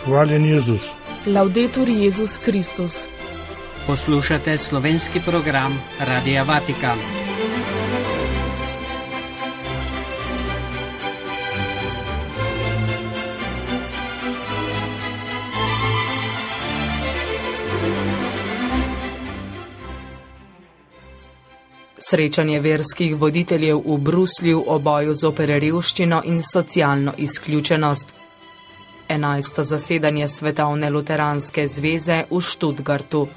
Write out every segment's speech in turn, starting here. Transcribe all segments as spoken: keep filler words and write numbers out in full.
Hvaljen Jezus. Laudetur Jezus Kristus. Poslušate slovenski program Radia Vatikan. Srečanje verskih voditeljev v Bruslju o boju zoper revščino in socialno izključenost. Enajsto zasedanje Svetovne luteranske zveze v Študgartu.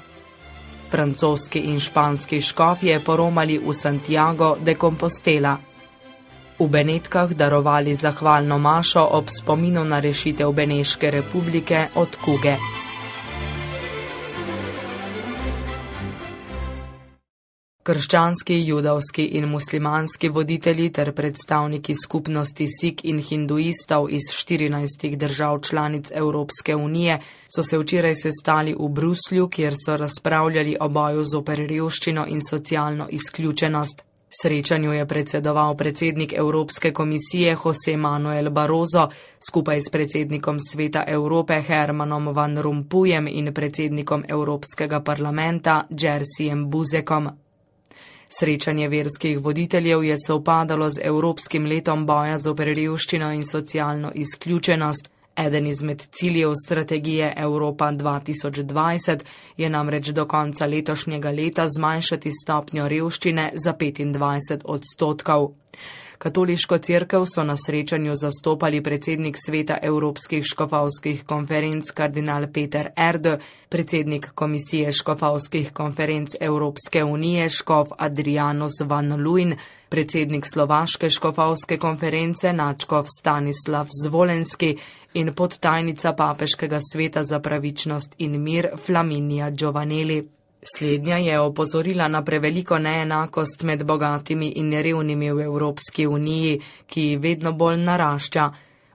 Francoski in španski škofje poromali v Santiago de Compostela. V Benetkah darovali zahvalno mašo ob spominu na rešitev Beneške republike od kuge. Krščanski, judovski in muslimanski voditelji ter predstavniki skupnosti Sik in hinduistov iz štirinajstih držav članic Evropske unije so se včeraj sestali v Bruslju, kjer so razpravljali o boju zoper revščino in socialno izključenost. Srečanju je predsedoval predsednik Evropske komisije José Manuel Barroso skupaj s predsednikom Sveta Evrope Hermanom Van Rompuyem in predsednikom Evropskega parlamenta Jerzym Buzekom. Srečanje verskih voditeljev je sovpadalo z Evropskim letom boja zoper revščino in socialno izključenost. Eden izmed ciljev strategije Evropa dva tisoč dvajset je namreč do konca letošnjega leta zmanjšati stopnjo revščine za petindvajset odstotkov. Katoliško cerkev so na srečanju zastopali predsednik Sveta Evropskih škofovskih konferenc kardinal Peter Erde, predsednik Komisije škofovskih konferenc Evropske unije škof Adrianus van Luin, predsednik Slovaške škofovske konference nadškof Stanislav Zvolenski in podtajnica Papeškega sveta za pravičnost in mir Flaminija Giovanelli. Slednja je opozorila na preveliko neenakost med bogatimi in revnimi v Evropski uniji, ki vedno bolj narašča.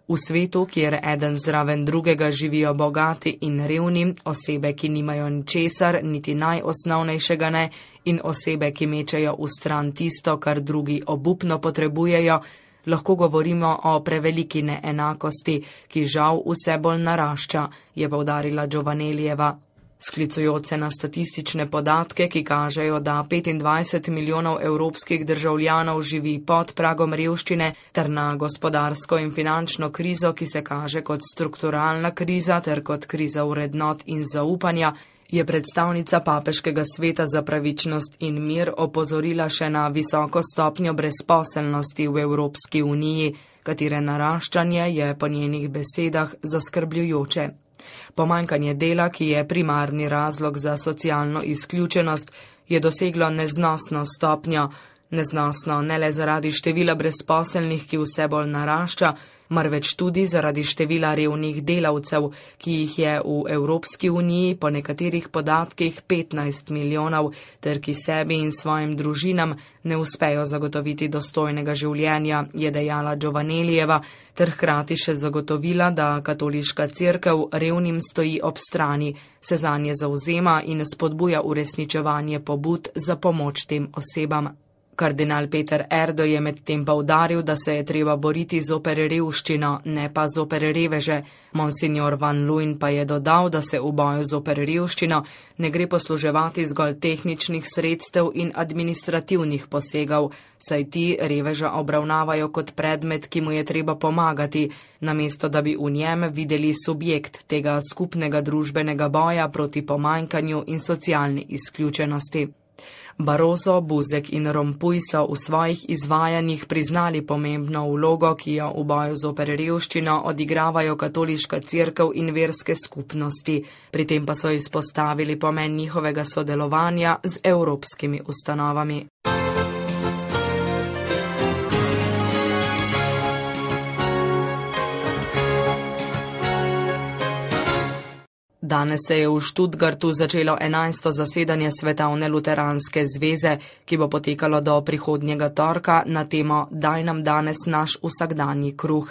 V svetu, kjer eden zraven drugega živijo bogati in revni, osebe, ki nimajo ničesar, niti najosnovnejšega ne, in osebe, ki mečejo v stran tisto, kar drugi obupno potrebujejo, lahko govorimo o preveliki neenakosti, ki žal vse bolj narašča, je poudarila Giovanellijeva. Sklicujoč se na statistične podatke, ki kažejo, da petindvajset milijonov evropskih državljanov živi pod pragom revščine, ter na gospodarsko in finančno krizo, ki se kaže kot strukturalna kriza ter kot kriza vrednot in zaupanja, je predstavnica Papeškega sveta za pravičnost in mir opozorila še na visoko stopnjo brezposelnosti v Evropski uniji, katere naraščanje je po njenih besedah zaskrbljujoče. Pomanjkanje dela, ki je primarni razlog za socialno izključenost, je doseglo neznosno stopnjo. Neznosno ne le zaradi števila brezposelnih, ki vse bolj narašča, marveč tudi zaradi števila revnih delavcev, ki jih je v Evropski uniji po nekaterih podatkih petnajst milijonov, ter ki sebi in svojim družinam ne uspejo zagotoviti dostojnega življenja, je dejala Giovanellijeva, ter hkrati še zagotovila, da katoliška cerkev revnim stoji ob strani, se zanje zavzema in spodbuja uresničevanje pobud za pomoč tem osebam. Kardinal Peter Erde je medtem poudaril, da se je treba boriti zoper revščino, ne pa zoper reveže. Monsignor Van Luin pa je dodal, da se v boju zoper revščino ne gre posluževati zgolj tehničnih sredstev in administrativnih posegov, saj ti reveža obravnavajo kot predmet, ki mu je treba pomagati, namesto da bi v njem videli subjekt tega skupnega družbenega boja proti pomanjkanju in socialni izključenosti. Barroso, Buzek in Rompuy so v svojih izvajanjih priznali pomembno vlogo, ki jo v boju zoper revščino odigravajo katoliška cerkev in verske skupnosti, pri tem pa so izpostavili pomen njihovega sodelovanja z evropskimi ustanovami. Danes se je v Študgartu začelo enajsto zasedanje Svetovne luteranske zveze, ki bo potekalo do prihodnjega torka na temo Daj nam danes naš vsakdanji kruh.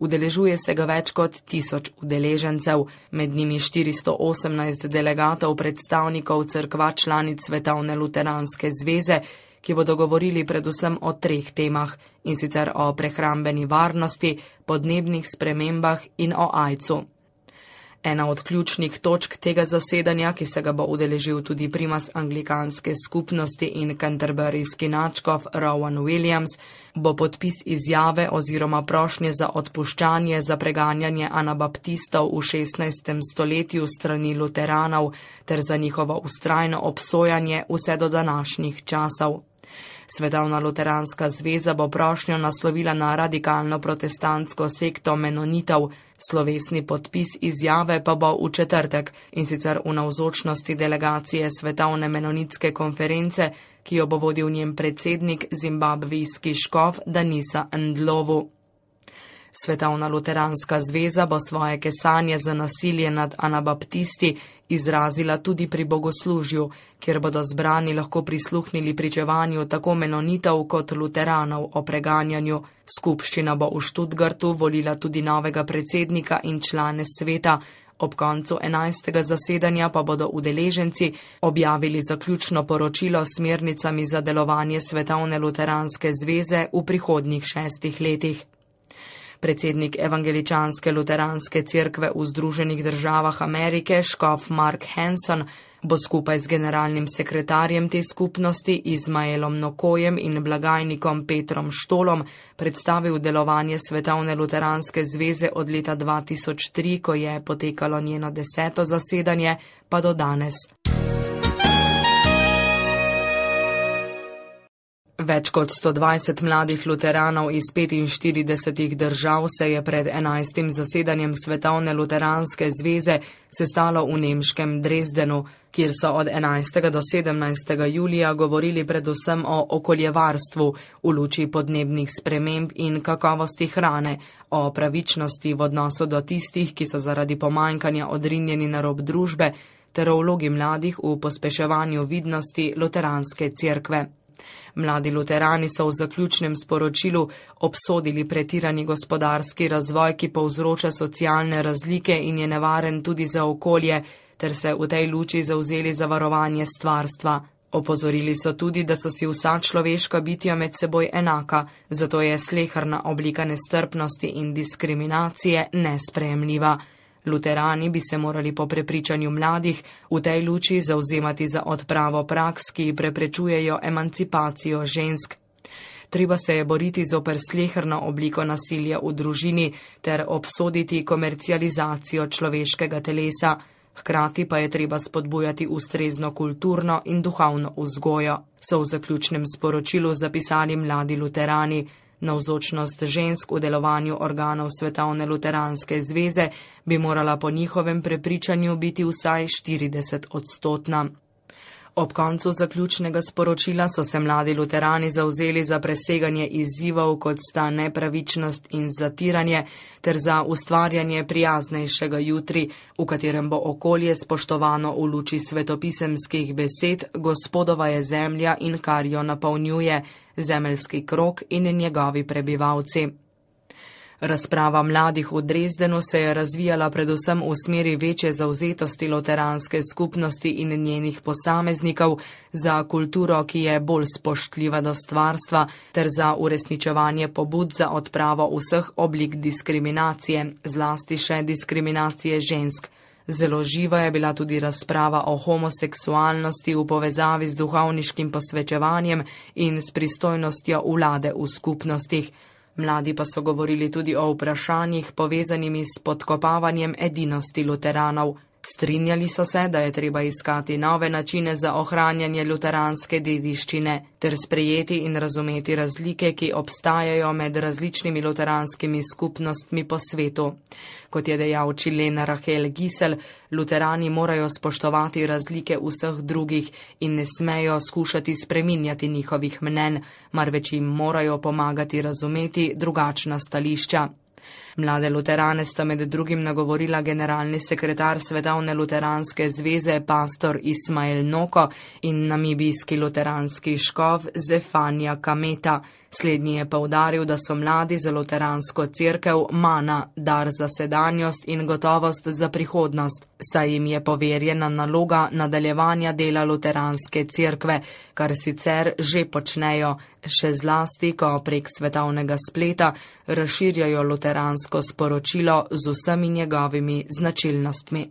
Udeležuje se ga več kot tisoč udeležencev, med njimi štiristo osemnajst delegatov predstavnikov cerkva članic Svetovne luteranske zveze, ki bodo govorili predvsem o treh temah, in sicer o prehrambeni varnosti, podnebnih spremembah in o aidsu. Ena od ključnih točk tega zasedanja, ki se ga bo udeležil tudi primas anglikanske skupnosti in canterburyski nadškof Rowan Williams, bo podpis izjave oziroma prošnje za odpuščanje za preganjanje anabaptistov v šestnajstem stoletju strani luteranov ter za njihovo vztrajno obsojanje vse do današnjih časov. Svetovna luteranska zveza bo prošnjo naslovila na radikalno protestantsko sekto menonitov, slovesni podpis izjave pa bo v četrtek, in sicer v navzočnosti delegacije Svetovne menonitske konference, ki jo bo vodil njen predsednik zimbabvijski škof Danisa Ndlovu. Svetovna luteranska zveza bo svoje kesanje za nasilje nad anabaptisti izrazila tudi pri bogoslužju, kjer bodo zbrani lahko prisluhnili pričevanju tako menonitov kot luteranov o preganjanju. Skupščina bo v Stuttgartu volila tudi novega predsednika in člane sveta. Ob koncu enajstega zasedanja pa bodo udeleženci objavili zaključno poročilo s smernicami za delovanje Svetovne luteranske zveze v prihodnjih šestih letih. Predsednik Evangeličanske luteranske cerkve v Združenih državah Amerike, škof Mark Hanson, bo skupaj z generalnim sekretarjem te skupnosti Izmaelom Nokojem in blagajnikom Petrom Štolom predstavil delovanje Svetovne luteranske zveze od leta dva tisoč tri, ko je potekalo njeno deseto zasedanje, pa do danes. Več kot sto dvajset mladih luteranov iz petinštiridesetih držav se je pred enajstim zasedanjem Svetovne luteranske zveze sestalo v nemškem Dresdenu, kjer so od enajstega do sedemnajstega julija govorili predvsem o okoljevarstvu v luči podnebnih sprememb in kakovosti hrane, o pravičnosti v odnosu do tistih, ki so zaradi pomanjkanja odrinjeni na rob družbe, ter o vlogi mladih v pospeševanju vidnosti luteranske cerkve. Mladi luterani so v zaključnem sporočilu obsodili pretirani gospodarski razvoj, ki povzroča socialne razlike in je nevaren tudi za okolje, ter se v tej luči zavzeli za varovanje stvarstva. Opozorili so tudi, da so si vsa človeška bitja med seboj enaka, zato je sleherna oblika nestrpnosti in diskriminacije nesprejemljiva. Luterani bi se morali po prepričanju mladih v tej luči zavzemati za odpravo praks, ki preprečujejo emancipacijo žensk. Treba se je boriti zoper sleherno obliko nasilja v družini ter obsoditi komercializacijo človeškega telesa. Hkrati pa je treba spodbujati ustrezno kulturno in duhovno vzgojo, so v zaključnem sporočilu zapisali mladi luterani. Navzočnost žensk v delovanju organov Svetovne luteranske zveze bi morala po njihovem prepričanju biti vsaj štirideset odstotna. Ob koncu zaključnega sporočila so se mladi luterani zavzeli za preseganje izzivov, kot sta nepravičnost in zatiranje, ter za ustvarjanje prijaznejšega jutri, v katerem bo okolje spoštovano v luči svetopisemskih besed: Gospodova je zemlja in kar jo napolnjuje, zemeljski krog in njegovi prebivalci. Razprava mladih v Dresdenu se je razvijala predvsem v smeri večje zavzetosti luteranske skupnosti in njenih posameznikov za kulturo, ki je bolj spoštljiva do stvarstva, ter za uresničevanje pobud za odpravo vseh oblik diskriminacije, zlasti še diskriminacije žensk. Zelo živa je bila tudi razprava o homoseksualnosti v povezavi z duhovniškim posvečevanjem in s pristojnostjo vlade v skupnostih. Mladi pa so govorili tudi o vprašanjih povezanimi s podkopavanjem edinosti luteranov. Strinjali so se, da je treba iskati nove načine za ohranjanje luteranske dediščine ter sprejeti in razumeti razlike, ki obstajajo med različnimi luteranskimi skupnostmi po svetu. Kot je dejal Čilena Rahel Gisel, luterani morajo spoštovati razlike vseh drugih in ne smejo skušati spreminjati njihovih mnenj, marveč jim morajo pomagati razumeti drugačna stališča. Mlade luterane sta med drugim nagovorila generalni sekretar Svetovne luteranske zveze pastor Ismael Noko in namibijski luteranski škof Zefanja Kameta. Slednji je poudaril, da so mladi za luteransko cerkev mana, dar za sedanjost in gotovost za prihodnost, saj jim je poverjena naloga nadaljevanja dela luteranske cerkve, kar sicer že počnejo, še zlasti, ko prek svetovnega spleta razširjajo luteransko sporočilo z vsemi njegovimi značilnostmi.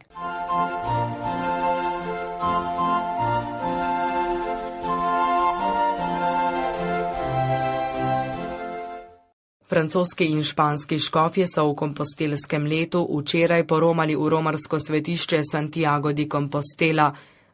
Francoski in španski škofje so v kompostelskem letu včeraj poromali v romarsko svetišče Santiago de Compostela.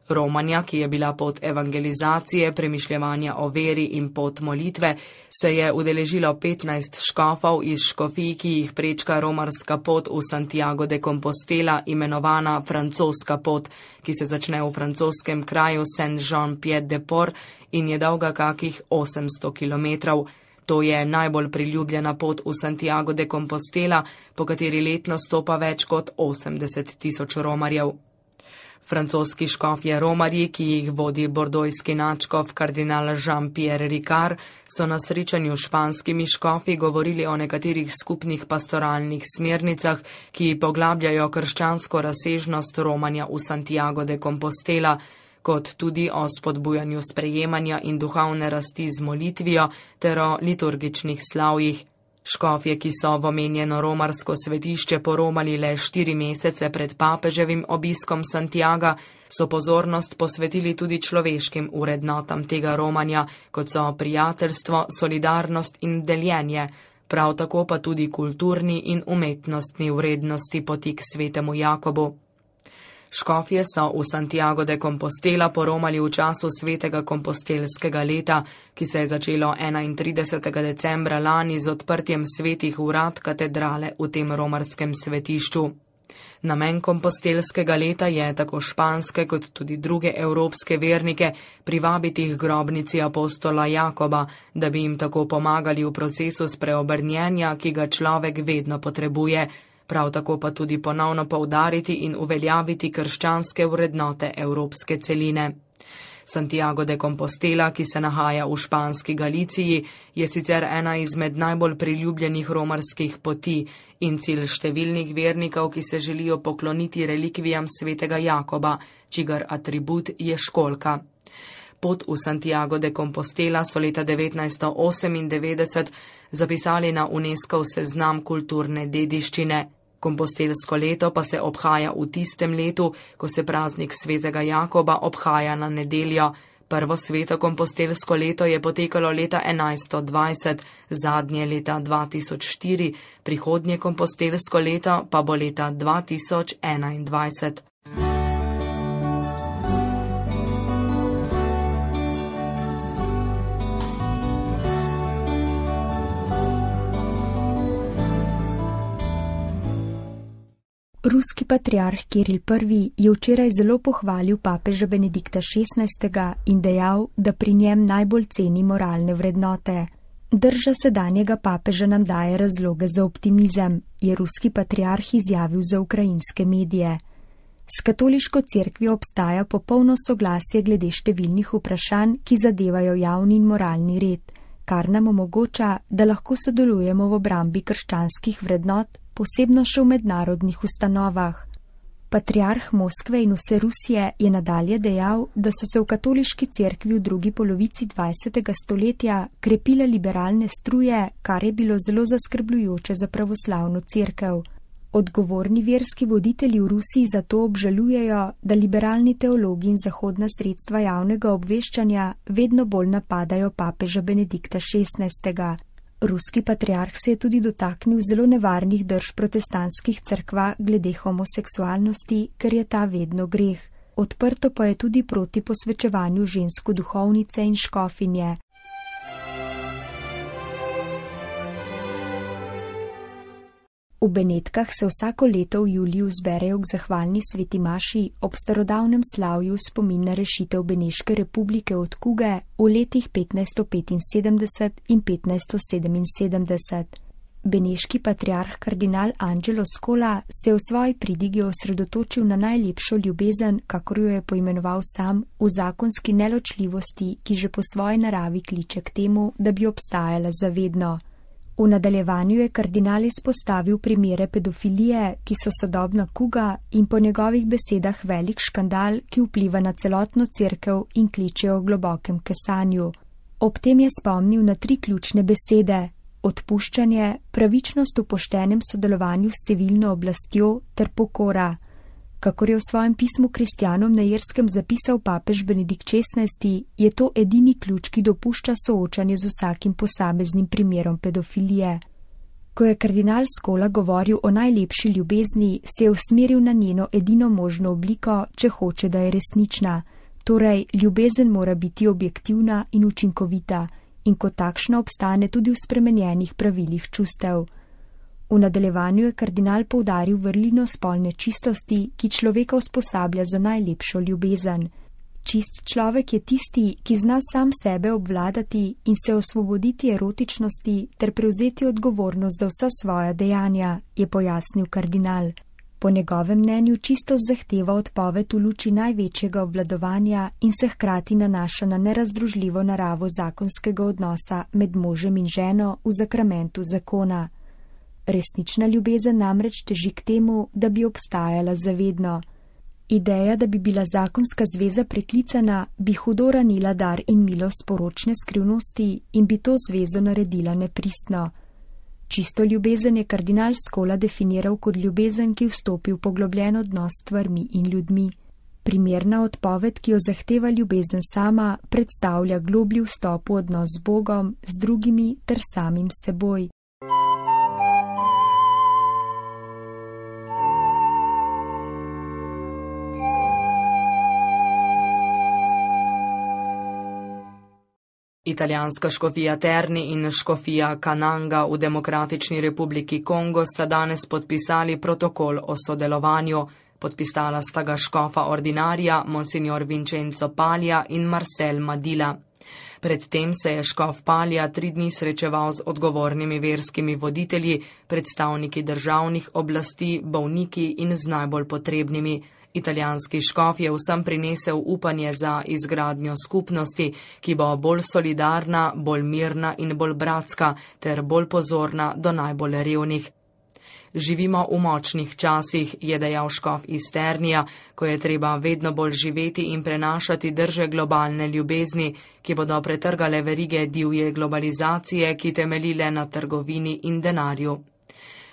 Romanja, ki je bila pot evangelizacije, premišljevanja o veri in pot molitve, se je udeležilo petnajst škofov iz škofij, ki jih prečka romarska pot v Santiago de Compostela, imenovana francoska pot, ki se začne v francoskem kraju Saint-Jean-Pied-de-Port in je dolga kakih osemsto kilometrov. To je najbolj priljubljena pot v Santiago de Compostela, po kateri letno stopa več kot osemdeset tisoč romarjev. Francoski škofje romarji, ki jih vodi bordojski nadškof kardinal Jean-Pierre Ricard, so na srečanju s španskimi škofi govorili o nekaterih skupnih pastoralnih smernicah, ki poglabljajo krščansko razsežnost romanja v Santiago de Compostela, kot tudi o spodbujanju sprejemanja in duhovne rasti z molitvijo ter o liturgičnih slavjih. Škofje, ki so v omenjeno romarsko svetišče poromali le štiri mesece pred papeževim obiskom Santiaga, so pozornost posvetili tudi človeškim vrednotam tega romanja, kot so prijateljstvo, solidarnost in deljenje, prav tako pa tudi kulturni in umetnostni vrednosti poti k svetemu Jakobu. Škofje so v Santiago de Compostela poromali v času svetega kompostelskega leta, ki se je začelo enaintridesetega decembra lani z odprtjem svetih vrat katedrale v tem romarskem svetišču. Namen kompostelskega leta je tako španske kot tudi druge evropske vernike privabiti k grobnici apostola Jakoba, da bi jim tako pomagali v procesu spreobrnjenja, ki ga človek vedno potrebuje, prav tako pa tudi ponovno poudariti in uveljaviti krščanske vrednote evropske celine. Santiago de Compostela, ki se nahaja v španski Galiciji, je sicer ena izmed najbolj priljubljenih romarskih poti in cilj številnih vernikov, ki se želijo pokloniti relikvijam svetega Jakoba, čigar atribut je školjka. Pot v Santiago de Compostela so leta devetnajststo osemindevetdeset zapisali na UNESCOV seznam kulturne dediščine. Kompostelsko leto pa se obhaja v tistem letu, ko se praznik svetega Jakoba obhaja na nedeljo. Prvo sveto kompostelsko leto je potekalo leta enajststo dvajset, zadnje leta dva tisoč štiri, prihodnje kompostelsko leto pa bo leta dva tisoč enaindvajset. Ruski patriarh Kiril prvi je včeraj zelo pohvalil papeža Benedikta šestnajstega in dejal, da pri njem najbolj ceni moralne vrednote. Drža sedanjega papeža nam daje razloge za optimizem, je ruski patriarh izjavil za ukrajinske medije. S katoliško cerkvijo obstaja popolno soglasje glede številnih vprašanj, ki zadevajo javni in moralni red, kar nam omogoča, da lahko sodelujemo v obrambi krščanskih vrednot, posebno še v mednarodnih ustanovah. Patriarh Moskve in vse Rusije je nadalje dejal, da so se v katoliški cerkvi v drugi polovici dvajsetega stoletja krepile liberalne struje, kar je bilo zelo zaskrbljujoče za pravoslavno cerkev. Odgovorni verski voditelji v Rusiji zato obžalujejo, da liberalni teologi in zahodna sredstva javnega obveščanja vedno bolj napadajo papeža Benedikta šestnajstega. Ruski patriarh se je tudi dotaknil zelo nevarnih drž protestantskih cerkva glede homoseksualnosti, ker je ta vedno greh. Odprto pa je tudi proti posvečevanju žensk v duhovnice in škofinje. V Benetkah se vsako leto v juliju zberejo k zahvalni sveti maši ob starodavnem slavju spomin na rešitev Beneške republike od kuge v letih petnajststo petinsedemdeset in petnajststo sedeminsedemdeset. Beneški patriarh kardinal Angelo Scola se je v svoji pridigi osredotočil na najlepšo ljubezen, kakor jo je poimenoval sam, v zakonski neločljivosti, ki že po svoji naravi kliče k temu, da bi obstajala zavedno. V nadaljevanju je kardinal izpostavil primere pedofilije, ki so sodobna kuga in po njegovih besedah velik škandal, ki vpliva na celotno cerkev in kliče o globokem kesanju. Ob tem je spomnil na tri ključne besede: odpuščanje, pravičnost v poštenem sodelovanju s civilno oblastjo ter pokora. Kakor je v svojem pismu kristjanom na Irskem zapisal papež Benedikt šestnajsti, je to edini ključ, ki dopušča soočanje z vsakim posameznim primerom pedofilije. Ko je kardinal Scola govoril o najlepši ljubezni, se je usmeril na njeno edino možno obliko, če hoče, da je resnična. Torej, ljubezen mora biti objektivna in učinkovita in kot takšna obstane tudi v spremenjenih pravilih čustev. V nadaljevanju je kardinal poudaril vrlino spolne čistosti, ki človeka usposablja za najlepšo ljubezen. Čist človek je tisti, ki zna sam sebe obvladati in se osvoboditi erotičnosti ter prevzeti odgovornost za vsa svoja dejanja, je pojasnil kardinal. Po njegovem mnenju čistost zahteva odpoved v luči največjega obvladovanja in se hkrati nanaša na nerazdružljivo naravo zakonskega odnosa med možem in ženo v zakramentu zakona. Resnična ljubezen namreč teži k temu, da bi obstajala zavedno. Ideja, da bi bila zakonska zveza preklicana, bi hudo ranila dar in milost poročne skrivnosti in bi to zvezo naredila nepristno. Čisto ljubezen je kardinal Scola definiral kot ljubezen, ki vstopi v poglobljen odnos s stvarmi in ljudmi. Primerna odpoved, ki jo zahteva ljubezen sama, predstavlja globlji vstop v odnos z Bogom, z drugimi ter samim seboj. Italijanska škofija Terni in škofija Kananga v Demokratični republiki Kongo sta danes podpisali protokol o sodelovanju. Podpisala sta ga škofa ordinarija Monsignor Vincenzo Palja in Marcel Madila. Predtem se je škof Palja tri dni srečeval z odgovornimi verskimi voditelji, predstavniki državnih oblasti, bolniki in z najbolj potrebnimi. Italijanski škof je vsem prinesel upanje za izgradnjo skupnosti, ki bo bolj solidarna, bolj mirna in bolj bratska ter bolj pozorna do najbolj revnih. Živimo v močnih časih, je dejal škof iz Ternija, ko je treba vedno bolj živeti in prenašati drže globalne ljubezni, ki bodo pretrgale verige divje globalizacije, ki temeljile na trgovini in denarju.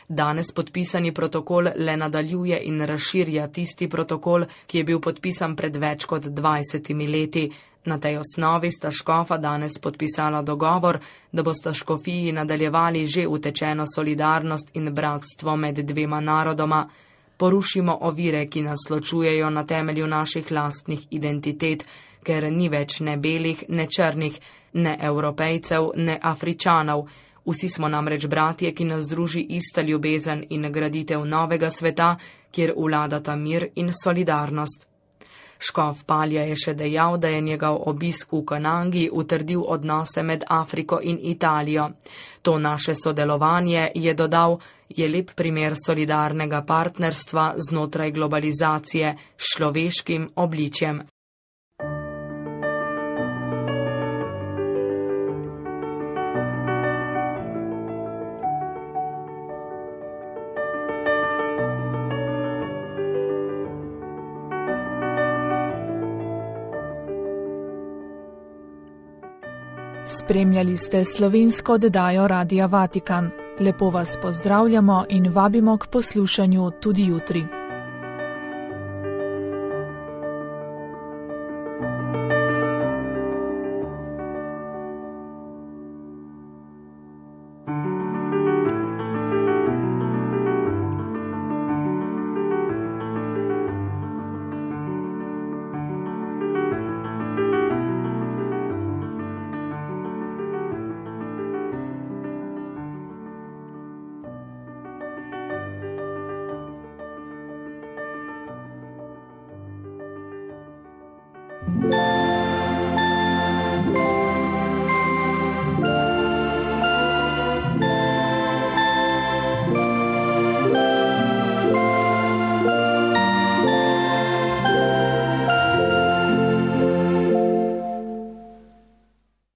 Danes podpisani protokol le nadaljuje in razširja tisti protokol, ki je bil podpisan pred več kot dvajsetimi leti. Na tej osnovi sta škofa danes podpisala dogovor, da bosta škofiji nadaljevali že utečeno solidarnost in bratstvo med dvema narodoma. Porušimo ovire, ki nas ločujejo na temelju naših lastnih identitet, ker ni več ne belih, ne črnih, ne Evropejcev, ne Afričanov. Vsi smo namreč bratje, ki nas združi ista ljubezen in graditev novega sveta, kjer vladata mir in solidarnost. Škof Palja je še dejal, da je njegov obisk v Kanangi utrdil odnose med Afriko in Italijo. To naše sodelovanje, je dodal, je lep primer solidarnega partnerstva znotraj globalizacije s človeškim obličjem. Spremljali ste slovensko oddajo Radia Vatikan. Lepo vas pozdravljamo in vabimo k poslušanju tudi jutri. Thank you.